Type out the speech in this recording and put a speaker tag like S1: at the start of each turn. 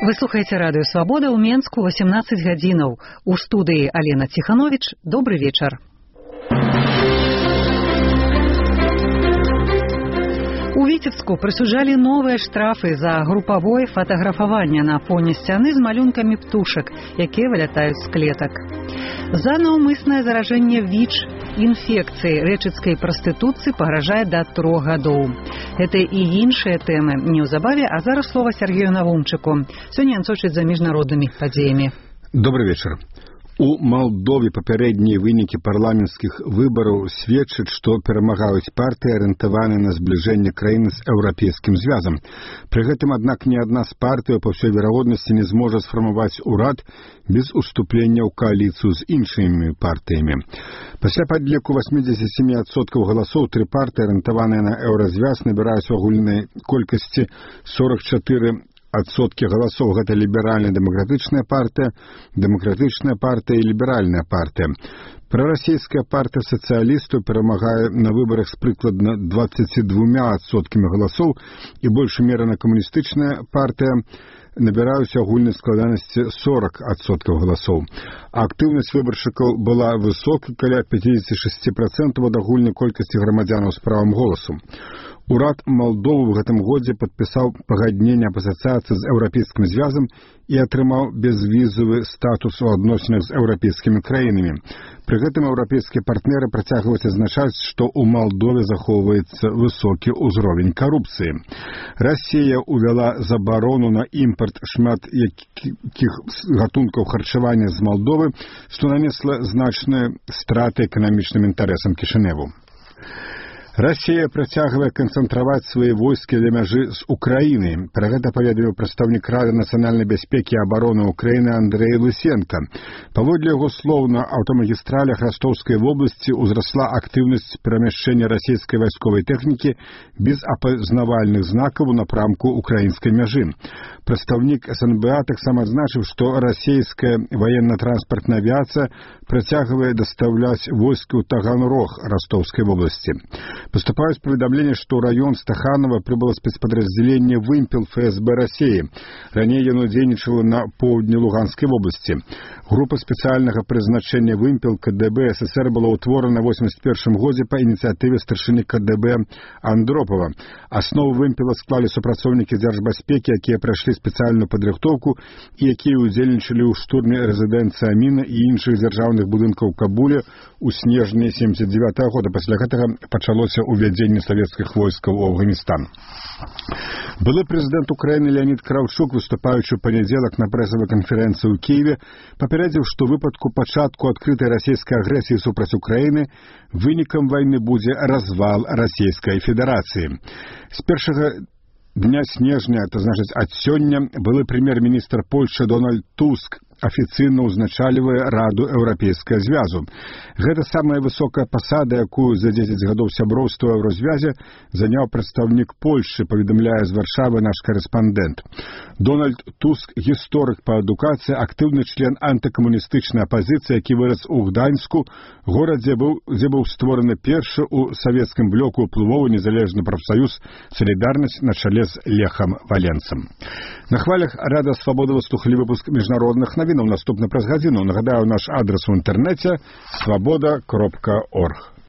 S1: Вы слухаеце радыё Свабода ў Менску 18 гадзінаў. У студыі Алена Ціхановіч. Добры вечар. У Віцебску прысуджалі новыя штрафы за групавое фатаграфаванне на фоне сцяны з малюнкамі птушак, якія вылятаюць з клетак. За наўмыснае заражэнне ВІЧ інфекцыі рэчыцкай прастытуцыі пагражае да 3 гадоў. Гэта і іншыя тэмы неўзабаве, а зараз слова Сергею Навумчыку. Сёння ён сочыць за міжнароднымі падзеямі.
S2: Добрый вечар. У Малдове папярэднія вынікі парламенцкіх выбараў сведчаць, што перамагаюць партыі, арыентаваныя на збліжэнне краіны з еўрапейскім звязам. Пры гэтым, аднак, ні адна з партый па ўсёй верагоднасці не зможа сфармаваць урад без уступлення ў кааліцыю з іншымі партыямі. Пасля падліку 87% галасоў тры партыі, арыентаваныя на еўразвяз, набіраюць у агульнай колькасці 44% галасоў. Гэта ліберальна-дэмакратычная партыя і ліберальная партыя. Прарасійская партыя сацыялістаў перамагае на выбарах з прыкладна 22% галасоў і больш умерана камуністычная партыя набіраюць агульнай складанасці 40% галасоў. Актыўнасць выбаршчыкаў была высокай, каля 56% ад агульнай колькасці грамадзянаў з правам голасу. Урад Малдовы ў гэтым годзе падпісаў пагадненне аб асацыяцыі з еўрапейскім звязам і атрымаў безвізавы статус у адносінах з еўрапейскімі краінамі. Пры гэтым еўрапейскія партнеры працягваюць адзначаць, што ў Малдове захоўваецца высокі ўзровень карупцыі. Расія ўвяла забарону на імпарт шмат якіх гатункаў харчавання з Малдовы, што нанесла значныя страты эканамічным інтарэсам Кішыневу. Расія працягвае канцэнтраваць свае войскі ля мяжы з Украінай. Пра гэта паведаміў прадстаўнік Рады нацыянальнай бяспекі і абароны Ўкраіны Андрэй Лысенка. Паводле яго слоў, на аўтамагістралях Ростаўскай вобласці ўзрасла актыўнасць перамяшчэння расійскай вайсковай тэхнікі без апазнавальных знакаў у напрамку украінскай мяжы. Прадстаўнік СНБА таксама адзначыў, што расійская ваенна-транспартная авіяцыя працягвае дастаўляць войскі ў Таганрог Ростаўскай вобласці. Поступают поведомления, что в район Стаханова прибыло спецподразделение «Вымпел» ФСБ России. Ранее оно дзейнічало на поўдні Луганской области. Группа специального призначения «Вымпел» КДБ СССР была утворена в 1981 году по инициативе старшины КДБ Андропова. Основу «Вымпела» склали супрацоўнікі дзяржбяспекі, якія пройшли специальную падрыхтоўку и якія удзельнічалі ў штурме резиденции Амина и іншых дзяржаўных будынкаў Кабуле ў снежні 1979 года. Пасля гэтага пачалося увядзенне савецкіх войскаў у Афганістан. Былы прэзідэнт Украіны Леонід Кравчук, выступаючы ў панядзелак на прэсавай канферэнцыі ў Кіеве, папярэдзіў, што ў выпадку пачатку адкрытай расійскай агрэсіі супраць Украіны вынікам вайны будзе развал Расійскай Федэрацыі. З першага дня снежня, это значыць ад сёння, былы прэм'ер-міністр Польшчы Дональд Туск афіцыйна ўзначальвае Раду Еўрапейскага звязу. Гэта самая высокая пасада, якую за 10 гадоў сяброўства ў Еўразвязе заняў прадстаўнік Польшчы, паведамляе з Варшавы наш карэспандэнт. Дональд Туск – гісторык па адукацыі, актыўны член антыкамуністычнай апазіцыі, які вырас у Гданьску, горадзе, дзе быў створаны першы ў савецкім блоку ўплывовы незалежны прафсаюз «Салідарнасць» на чале з Лехам Валенцам. На хвалях Рада Свабода выслухалі выпуск міжнародных навінаў наступны праз гадзіну. Нагадаю, наш адрес у інтэрнэце свабода.орг.